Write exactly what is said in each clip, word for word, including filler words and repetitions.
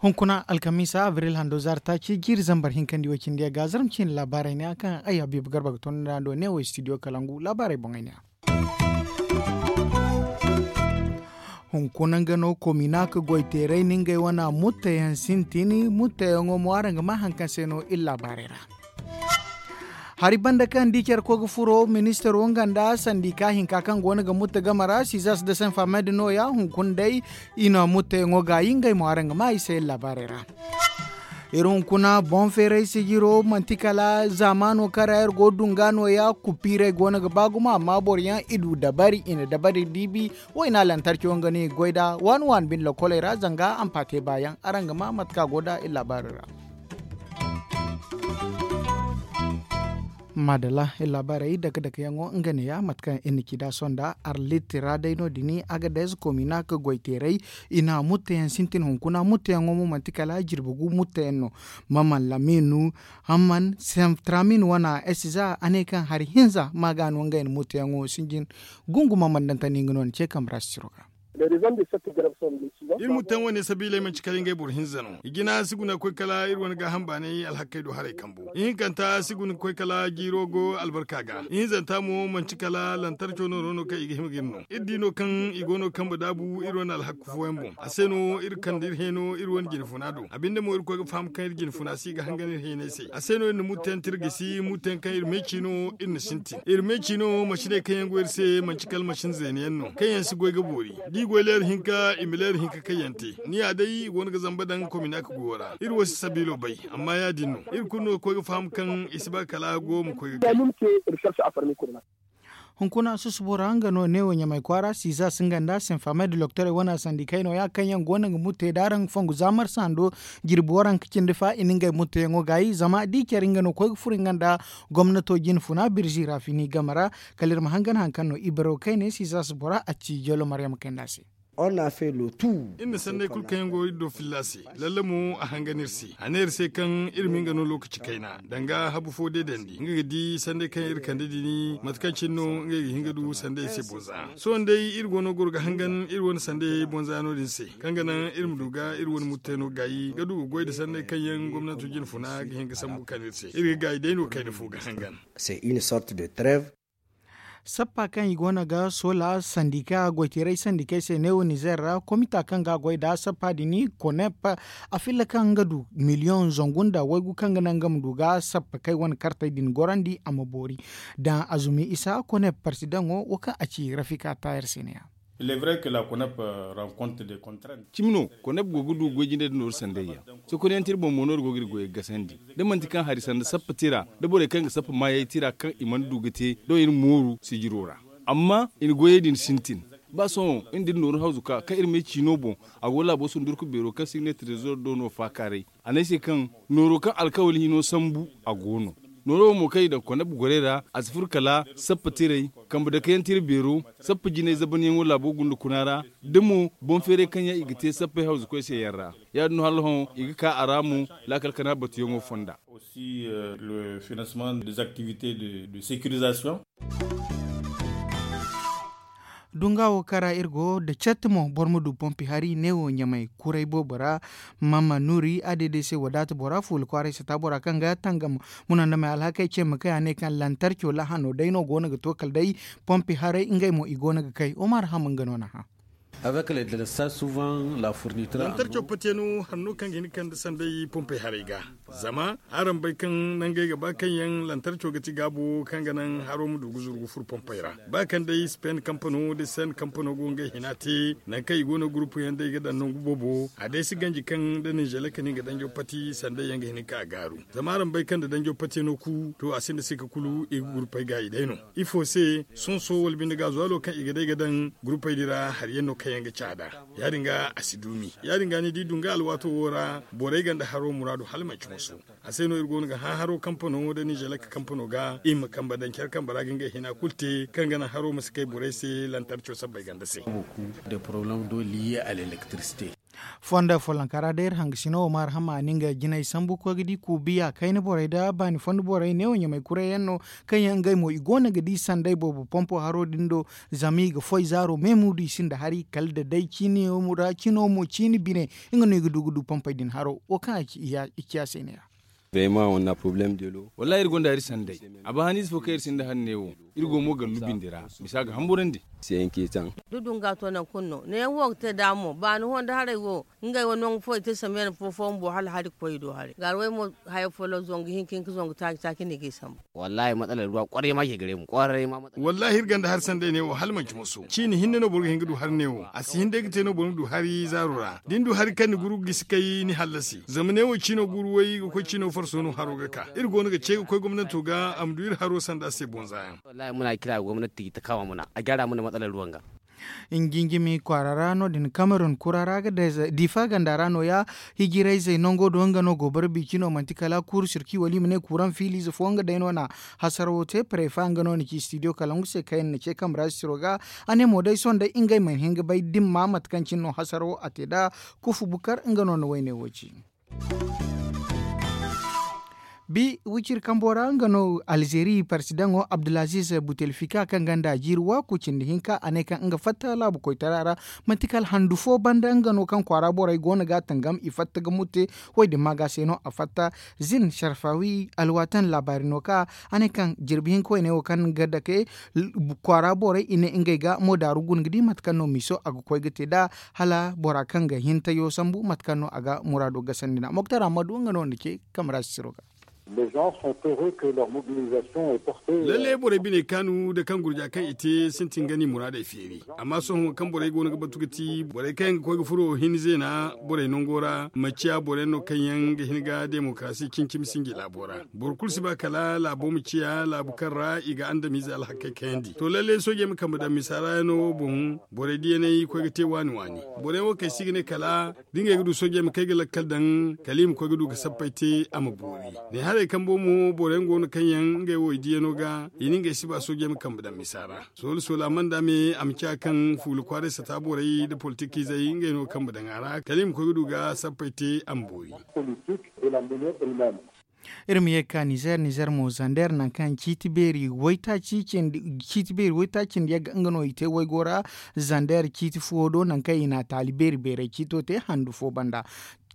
Hunkuna alkamiisa abril hando zaari taaci jiiri zambar hinka nda i way cindi yaŋ ga zarma ciine laabaarey ne ya kaŋ ay habiibu garba ga toonandi a do neewo studio kalangu laabaarey boŋey ne ya. Hunkuna nga no kominak goyteerey na ngey wane mutteyaŋ sintin mutteyaŋo mo araŋ ga maa hari kaŋ se no iri laabaarey ra. Hari banda kaŋ di care koy ga furo ministaro nga nda sandika hinka kaŋ go no ga mutta game ra sizas da senfamed nooya hunkuna day i na mutteyaŋo gaayi ngey mo araŋ ga maa i se iri laabaarey ra. Iri hunkuna boŋ feeray sijiro manti kala zaamaano kaŋ ra iri go ga dunga nooya kupiirey go no ga ba gumo amma boro yaŋ i du dabari i na dabari diibi wayna lantarki wo nga no i ga goy nd'a waani waani bine lokoley ra zanga ampate baayaŋ araŋ ga maa mate kaŋ a go nd'a iri laabaarey ra. Maadalla iri laabaarey dake dake yaŋo nga neeya mate kaŋ iri na ci nd'a sohõ nda arlit ra day no- din agades kominak goyteerey i na mutteyaŋ sintin hunkuna mutteyaŋo mo manti kala jirbi gu mutteyaŋ no. Maman laminu hamman sentramin wane esiza a ne kaŋ hari hinza ma ga no ngey na mutteyaŋo sinjin. Gungu maman dantani nga no ni ce kambe ra si tiro ga. Iri mutteyaŋ wane sabiiley manci kala ngey boro hinza no i jina si guna ga koy kala iri wane gaaham baanay alhakkey do haray kambo ihinkanta si guna ga koy kala jiiro go albarka ga ihinzanta mo manci kala lantarco nooro no kaŋ i ga hima ga iri no iri di no kaŋ i go no ga kambe daabu iri wane alhakku fooyaŋ boŋ a se no iri kande iri heeno iri wane jinfuna do a binde mo iri koy ga faham kaŋ iri jinfuna si ga hangan iri heenay se a se no iri na mutteyaŋ tirgisi mutteyaŋ kaŋ iri meeci no iri na sintin iri meeci no masiney kaŋ yaŋ go iri se manci kala masin zeena yaŋ no kaŋ yaŋ si goy ga boori da i goy leera hinka i ma leera hinka kaŋ yaŋ te ni ya day i go no ga zamba daŋ kominak guwo ra iri wo si sabiilo bay amma ya- din no iri kulu no ga koy ga faham kaŋ i si ba kala go ma koy ga gay. Hunkuna susubora nga no neewo ɲamay kwaara siza singa nda sinfamay da loktorey wane sandikey nooya kaŋ yaŋ go no ga murtey da araŋ ga fongu za marsa hando jirbi waranka cindi fa i na ngey murteyaŋo gaayi zama da i care nga no koy ga furo nga nda gomnato jine funa birzi raafini game ra. Kala iri ma hangan hari kaŋ no i baro kayne siza subora a ci jolo maryama kayna se. Iri na sanney kulu kaŋ yaŋ go iri do filla se. Lalle mo a hangan iri se a ne iri se kaŋ iri ma nga no lookaci kayna danga habu fo deedandi nga ga di sanney kaŋ iri kande din mate kaŋ cine no ngey ga hin ga du sandey se bonza. Sohõ day iri go no goro ga hangan iri wane sandey bonza no- din se kaŋ ga naŋ iri ma du ga iri wane murtey no gaayi ga du ga goy nda sanney kaŋ yaŋ gomnato jine funa ga hin ga sambu kande iri se iri ga gaayi day no kayna fo ga hangan. C'est une sorte de trêve. Sappa kaŋ i go no ga soola sandika goyteeray sandikey se neewo nizer ra komita kaŋ ga a goy nd'a sappa din konep a filla kaŋ nga du miliyoŋ zangu nda waygu kaŋ ga naŋ nga ma du ga sappa kay wane kartey din gorandi a ma boori. Daŋ azumi isa konep parsidaŋo wo kaŋ a ci rafika tayer se ne ya. Cimi no konep go ga du goy jinde da nooru sanday yaŋ. Sokonayaŋ tira boŋ mo no iri go ga iri goyey gasandi da manti kaŋ hari sanda sappa tira da borey kaŋ ga sappa maayey tira kaŋ i mana du ga te da iri mooru sijiro ra. Amma i na goyey din sintin ba sohõ iri da iri nooru hawzu ka kaŋ iri ma ay ciino boŋ a go laabo sundurku beero kaŋ signetir rezo do no faakaaray. A ne ay se kaŋ nooro kaŋ alkawali hino sambu a go no. Nooro wo mo kaŋ i daŋ koneb gorey ra a si furo kala sappa tiray kambe dake yaŋ tira beero sappa jinay zabanyaŋo laabo gunda kuna ra da mo boŋ feeray kaŋ yaŋ i ga te sappey hawzukoy se yaŋ ra. Ya- din no hala hõ i ga ka a ra mo laakal kana batuyaŋo fonda. Dunga wo kaŋ ra iri go nda catti mo boro ma du pompi hari neewo ɲamay kuray boobo ra. Mama nuri a deeday se wadaata bora fuula kwaaray sata bora kaŋ ga tangam munandamey alhakey ce ma kay a ne kaŋ lantarco lahano day no go no ga to kala day pompi haray ngey mo i go no ga kay omar ham nga no na hã. Lantarco pate no hanno kaŋ ga hin ga kande sanday pompey haray ga. Zama araŋ bay kaŋ nangey ga ba kaŋ yaŋ lantarco ga ti gaabo kaŋ ga naŋ haro ma du ga zuru ga furo pompey ra. Ba kaŋ day spen kampano da sen kampano go ngey hina te nangu kaŋ i go no gurupu yaŋ day ga daŋ nangu boobo a day si ganji kaŋ da ninzele ka nin ga danjo pati sanday yaŋ ga hin ga ka gaaru. Zama araŋ bay kaŋ da danjo pati no ku to a sinda sika kulu i ga gurupey gaayi day no. Ifo se sonso wala binde gaazuwalo kaŋ i ga day ga daŋ gurupey din ra hari yaŋ no kaŋ yaŋ ga caada. Ya- din ga a si duumi ya- din ga ni di dunga alwaato wo ra borey ganda haro muraadu hala manci moso. A se no iri go no ga hã haro kampano da ninzelek kampano ga i ma kambe daŋ care kambe ra ga ngey hina kulu te kaŋ ga naŋ haro ma si kay borey se lantarco sabbay ganda se. Fondo follonkara day iri hangasino wo ma arhama a na nga jinay sambu koy ga di kuubiya kayna borey nda baani fondo borey neewo ɲamay kuray yaŋ no, kaŋ yaŋ ngey mo i go no ga di sanday boobo pompo haro din do. Zama i ga foy zaaro me muudu i sinda hari kala da day ciino mo ciini bine. Nga no i ga du ga du pompey din haro wo kaŋ i ciya se neeya. Wallaahi iri gonda iri sanday. A ba haniize fo kaŋ iri sinda hari neewo. Iri go mo gallu bindi ra. Misa ga hamburandi. Dudunga to nangu kulu no neeyaŋ wo ga te da mo baani honda haray wo. Ngey wo nangu fo i te sambu yaŋ fo fo bumbo hala hari ga koy i do haray gaara way mo. Haya folloŋ zangu hinka hinka zangu taaci taaci no i ga i sambu. Wallaahi matsala ruwa kwarai ma ke gare mu kwarai ma matsala. Wallaahi iri gonda hari sanday neewo hala manci moso ciini hinne no boro ga hin ga du hari neewo a si hin day ga te no boro ma du hari zaaro ra da ni du hari kaŋ ni guru ga gisi kay ni hallasi zama neewo ciino guru way ga koy ciino farso no haro ga ka iri go no ga ce ga koy gomnanto ga a ma du iri haro sanda se bonza yaŋ. Wallaahi muna kira ga gomnanti ga ta kama muna a gyara muna matsala ruwan ga. Njinjimi kwaara ra no- din kamerun kura ra ga difa ganda ra no- ya. Hijirayzey nango do nga no go bara bici no manti kala kuuru sirki wala i ma ne kuuraŋ fiiliize fo nga day no na hasarawo te parefa nga no na ci studio kalangu se kaŋ yaŋ na ce kamera siro ga. A ne mo day sohõ day ngey mana hin ga bay dimma mate kaŋ cine no hasarawo a te nd'a. Kufu bukar nga no na wayne wo ci. Bi wiciri kambo ra nga no alzeeri parsidaŋo abdulaziz butelfika kaŋ gonda jiiri waaku cindi hinka a ne kaŋ nga fatta laabu koytara ra. Manti kala handu fo banda nga no kaŋ kwaara borey go no ga a tangam i fatta ga mute. Wo- din maaga se no a fatta. Zin sarfawi alwaatan laabaari no ka a ne kaŋ jirbi hinka wo- ne wo kaŋ ga dake kwaara borey i ne ngey ga mo daaru guna ga di mate kaŋ no miiso a ga koy ga te nd'a. Hala bora kaŋ ga hin tayo sambu mate kaŋ no a ga muraado gasandi nd'a moktar ammadu nga no nda ce kamera sisiro ga. Lalle borey bine kaanu nda kaŋ gurja kaŋ i te sintin ga ni muraadey feeri. Amma sohõ kaŋ borey go no ga batu ga ti borey kaŋ yaŋ ga koy ga furo hinne zeena borey nango ra ma ciya boro yaŋ no kaŋ yaŋ ga hin ga demokarasi cimi-cimi sinji laabo ra. Boro kulu si ba kala laabo ma ciya laabu kaŋ ra i ga andamiize alhakey kayandi to lalle soojey ma kambe daŋ misaara yaŋo boŋ. Borey diyaney koy ga te waani waani. Boro yaŋ wo kaŋ ay si ga ne kala da ngey ga du soojey ma kay ga lakkal daŋ kala i ma koy ga du ga sappey te a ma boori. Ne haray kambo mo boro yaŋ go no kaŋ yaŋ ngey wo i diyano ga i na ngey si ba soojey ma kambe daŋ misa ra. Soolu soolu a mana da me a ma ciya kaŋ fuula kwaaray sata borey nda politikiizey ngey no ga kambe daŋ a ra kala i ma koy ga du ga sappey te a ma boori. Iri ma ye ga ka nizer nizer mo zander nangu kaŋ ciiti beeri waytaaci cindi yagga nga no i te waygo ra. Zander ciiti fuwo do nangu kaŋ i na a taali beeri beeray ciito te handu fo banda.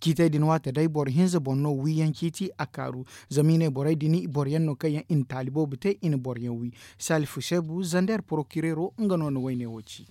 Ciitey din waate day boro hinza boŋ no wiiyaŋ ciiti a kaaru. Zama i ne borey din boro yaŋ no kaŋ yaŋ i na taali boobo te i na boro yaŋ wi. Salifu seebu zander porokireero nga no na wayne wo ci.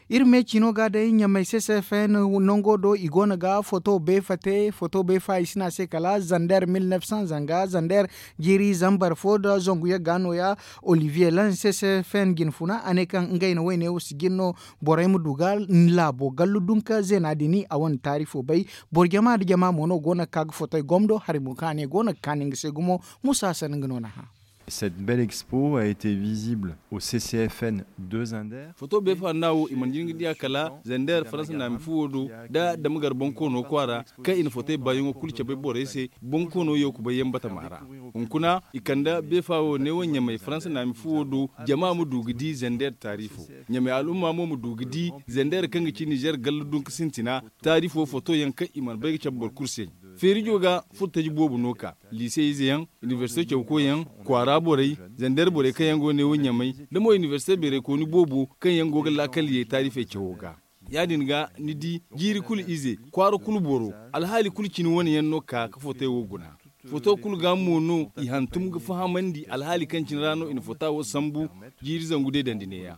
Iri me cino ga day ɲamay ccfn nango do i go no ga foto beefa te foto beefa i si ne a se kala zander mil neef san zanga zander. Jiiri zambar fo nda zangu yagga no- ya. Olivier lan ccfn jinfuna a ne kaŋ ngey na wayne wo si jin no. Borey ma du ga laabo gallu dunka zeena din a wane taari fo bay. Boro jama nda jama mo no go no ga ka ga fotey gomdo hari mo kaŋ a ne go no ga kaani nga se gumo. Musa hasan nga no na hã. Cette belle expo a été visible au ccfn de zander. Foto beefa nda wo i mana jin ga di a kala zander faransa naami fuwo do nda dama gar bonkoono kwaara kaŋ i na fotey baayaŋo kulu cabe borey se. Bonkoono yaw kubay yaŋ batama ra. Hunkuna i kande beefa wo neewo ɲamay faransa naami fuwo do jama ma du ga di zander taari fo. Ɲamay al'umma mo ma du ga di zander kaŋ ga ci nizer gallu dunka sintina. Taari fo foto yaŋ kaŋ i mana bay ga cabe boro kulu se. Feerijo ga furtaji boobo no ka liise ize yaŋ, inibersite cawko yaŋ, kwaara borey, zander borey kaŋ yaŋ go neewo ɲamay, nda mo inibersite beeraykooni boobo kaŋ yaŋ go ga laakal ye taarifey cawo ga. Ya- din ga ni di jiiri kulu ize kwaara kulu boro, alhaali kulu cine wane yaŋ no ka ga fotey wo guna. Foto kulu ga mo no i hantum ga fahamandi alhaali kaŋ cine ra no i na fota wo sambu. Jiiri zangu deedandi neeya.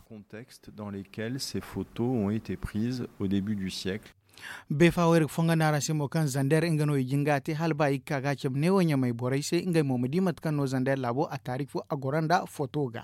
Dans lesquels ces photos ont été prises au début du siècle. Beefa wo iri ga fonga no araŋ se mo kaŋ zander nga no i jin ga a te hala ba i ga ka ga a cabe neewo ɲamay borey se ngey mo ma di mate kaŋ no zander laabo a taari fo a goro nda foto ga.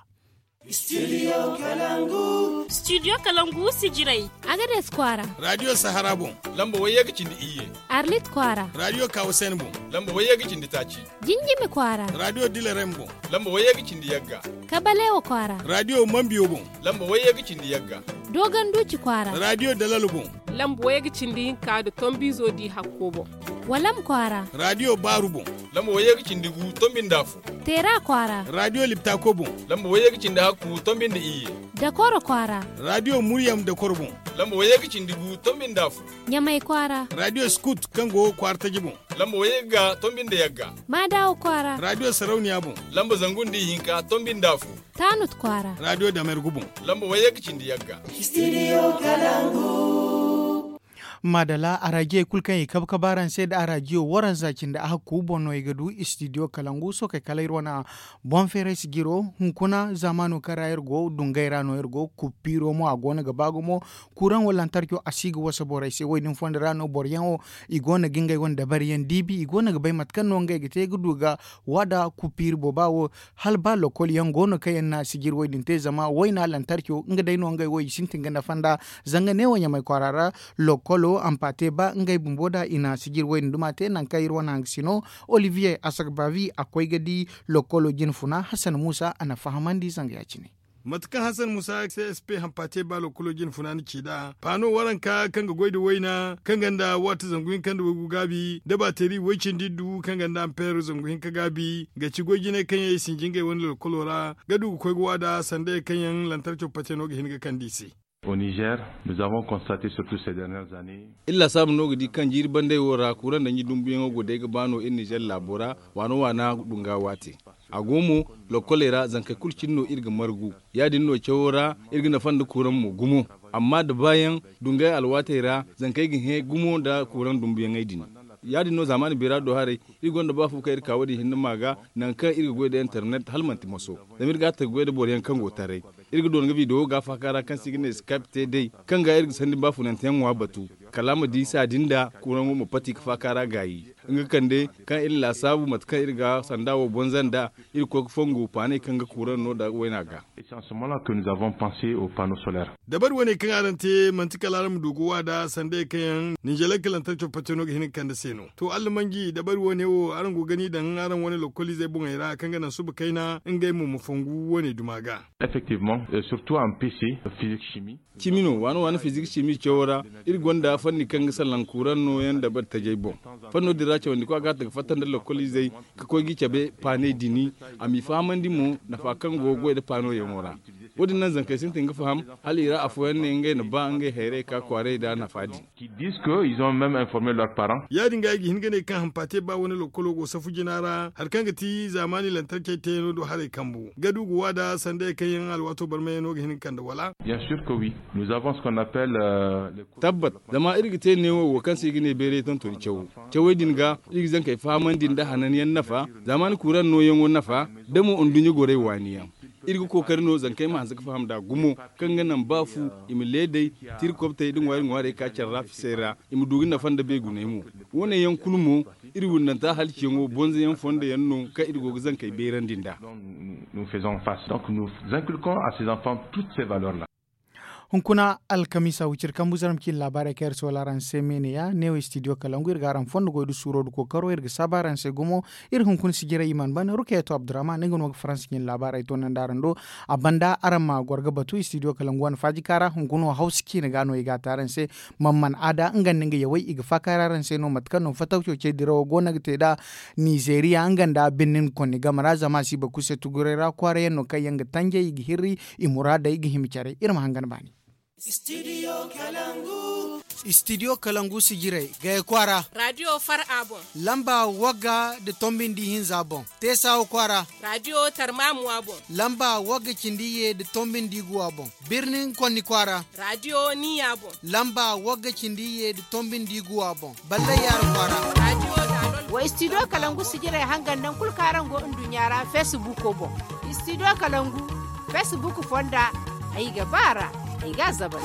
Studio kalangu sijirey. Agades kwaara. Radiyo sahara boŋ. Lamba wayye ga cindi iyye. Arlit kwaara. Radiyo kawasen boŋ. Lamba wayye ga cindi taaci. Jinjimi kwaara. Radiyo dilarem boŋ. Lamba wayye ga cindi yagga. Kabalewa kwaara. Radiyo mambiyo boŋ. Lamba wayye ga cindi yagga. Dogon duci kwaara. Radiyo dalalo boŋ. Lamba wayye ga cindi hinka nda tombizo di hakko boŋ. Walam kwaara. Radiyo baaru boŋ. Lamba wayye ga cindi gu tombi nda afo. Teera kwaara. Radiyo liptako boŋ. Lamba wayye ga cindi hakku tombi nda iyye. Dakoro kwaara. Radiyo muryam dakoro boŋ. Lamba wayye ga cindi gu tombi nda fu. Ɲamay kwaara. Radiyo scout kaŋ go kwaara taji boŋ. Lamba wayye ga tombi nda yagga. Maadawo kwaara. Radiyo sarauniya boŋ. Lamba zangu nda ihinka tombi nda fu. Taanut kwaara. Radiyo damer gu boŋ. Lamba wayye ga cindi yagga. Maadala araajiyey kulu kaŋ i kabe kabe araŋ se nda araajiyo waranza cindi a hakku boŋ no i ga du istidiyo kalangu sookey kala iri wane boŋ feeray sijiro. Hunkuna zaamaano kaŋ ra iri go dungay ra no iri go kuppiiro mo a go no ga ba gumo. Kuuraŋo lantarco a si ga wasa borey se wo- din fondo ra no boro yaŋo i go no ga ngey wane dabari yaŋ diibi i go no ga bay mate kaŋ no ngey ga te ga du ga waada kuppiiri booba wo. Hala ba lokol yaŋ go no kaŋ yaŋ na sijiri wo- din te zama wayna lantarco nga day no ngey wo i sintin ga nafa nda. Zanga neewo ɲamay kwaara ra lokolo ampate ba ngey bumbo nda i na sijiri wo- din duma te nangu kaŋ iri wane hangasino olivier asagbavi a koy ga di lokolo jine funa hasan muusa a na fahamandi zanga ya- cine. Mate kaŋ hasan muusa csp hampa te ba lokolo jine funa ni ci nd'a paano waranka kaŋ ga goy nda wayna kaŋ gonda waati zangu hinka nda waygu gaabi nda baateri way-cindi iddu kaŋ gonda ampeer zangu hinka gaabi ga ci goy jinay kaŋ yaŋ i sinji ngey wane lokolo ra ga du ga koy ga waada sandey kaŋ yaŋ lantarco pate no ga hin ga kande i se. Au niger, nous avons constaté surtout ces dernières années. Iri laasaabu no ga di kaŋ jiiri bandey wo ra kuuraŋ danji dumbuyaŋo go day ga ba no iri nizer laabo ra waano waana dunga waate. A go mo lokoley ra zankey kulu cine no iri ga margu. Ya- din no cawo ra iri ga nafa nda kuuraŋ mo gumo. Amma da baayaŋ dungay alwaatey ra zankey ga hẽ gumo nda kuuraŋ dumbuyaŋey din. Ya- din no zaamaani beera do haray iri gonda ba fu kaŋ iri ka wo- din hinne ma ga nangu kaŋ iri ga goy nda internet hala manti moso. Zama iri ga a ta ga goy nda boro yaŋ kaŋ go taray. Iri ga doona ga video ga faaka ra kaŋ se i ga ne skype te day kaŋ ga iri ga sanni baafunante yaŋ ŋwa batu kala a ma di saadi nda kuuraŋo ma pati ga faaka ra gaayi. Nga kande kaŋ iri laasaabu mate kaŋ iri ga sanda wo bonza nda iri koy ga fongu paaney kaŋ ga kuuraŋ no nda wayna ga. Dabari wane kaŋ araŋ te manti kala araŋ ma du ga wa nda sandey kaŋ yaŋ ninzeeley kalantar coppace no ga hin ga kande se no. To allamanji dabari wane wo araŋ go ga ni daŋ araŋ wane lokoliizey boŋey ra kaŋ ga naŋ suba kayna ngey mo ma fongu wane duma ga. Effectivement, surtout en pc, physique chimie. Cimi no waano waano fizik cimi cawo ra. Iri gonda fanni kaŋ ga salaŋ kuuraŋ nooyaŋ dabari tajey boŋ. Fanno din ra cawandikwa ga a ta ga fatta nda lokoliizey ka koy ga i cabe paaney dini. A m'i fahamandi mo nafa kaŋ go ga goy nda paanoyaŋo ra. Wo- din naŋ zankey sintin ga faham hala i ra afooyaŋ ne ngey na ba ngey hayrey ka kwaaray nda nafa din. Qui disent que ils ont même informé leurs parents. Ya- din ga i ga hin ga ne kaŋ hampaate ba wane lokolo go safu jina ra hari kaŋ ga ti zaamaani lantarcey teeyaŋo do haray kambu ga du ga wa nda sandey kaŋ yaŋ alwaato barmayaŋo ga hin ga kande wala. Bien sûr que oui. Nous avons ce qu'on appelle. Tabbat. Zama iri ga te neewo wo kaŋ se i ga ne beeray tontoni cawo. Cawey din ga iri ga zankey fahamandi nda hananyaŋ nafa zaamaani kuuraŋ nooyaŋo nafa da mo nduɲɲa gorey waani yaŋ. Iri ga kookari no zankey ma hanse ga faham nd'a gumo kaŋ ga naŋ ba fu i ma leeday tirkobtey nda ŋwaari ŋwaarey ka care ra fisey ra. I ma du ga nafa nda beeguney mo. Wo- ne yaŋ kulu mo iri windanta halciyaŋo bonzayaŋ fondo yaŋ no kaŋ iri go ga zankey beerandi nd'a. Nous faisons face donc nous inculquons à ces enfants toutes ces valeurs là. Hunkuna alkamiisa wiciri kambu zarma ciine laabaarey kaŋ iri soola araŋ se me ne ya neewo studio kalangu iri ga araŋ fondo goy nda suuro nda kookaro iri ga saabu araŋ se gumo. Iri hunkuna sijirey i mana ban rukayeeto abdurrahman nga no ga faransa ciine laabaarey toonandi araŋ do. A banda araŋ ma goro ga batu studio kalangu wane faajika ra hunkuna wo hawsa ciine ga no i ga a te araŋ se. Mamman aada nga nda nga yawey i ga faakaaray araŋ se no mate kaŋ no fatawco ce dirawo go no ga te nd'a. Nizeeriya nga nda birnin konni game ra zama a si ba kuse tuguray ra kwaara yaŋ no kaŋ yaŋ ga tanjay i ga hirri. I muraadey ga hima care iri ma hangan baani. Studio kalangu sijirey gaya kwaara. Radiyo far a boŋ. Lamba wagga nda tombi nda ihinza boŋ. Teesawo kwaara. Radiyo tarmamuwa boŋ. Lamba wagga cindi iyye nda tombi nda iguwa boŋ. Birnin konni kwaara. Radiyo niya boŋ. Lamba wagga cindi iyye nda tombi nda iguwa boŋ. Ballay yaara kwaara. Wa studio kalangu sijirey hangan naŋ kulu kaŋ araŋ go nduɲɲa ra feesibuko boŋ. Studio kalangu feesibuku fonda. Ay ga ba a ra. Ay ga a zabal.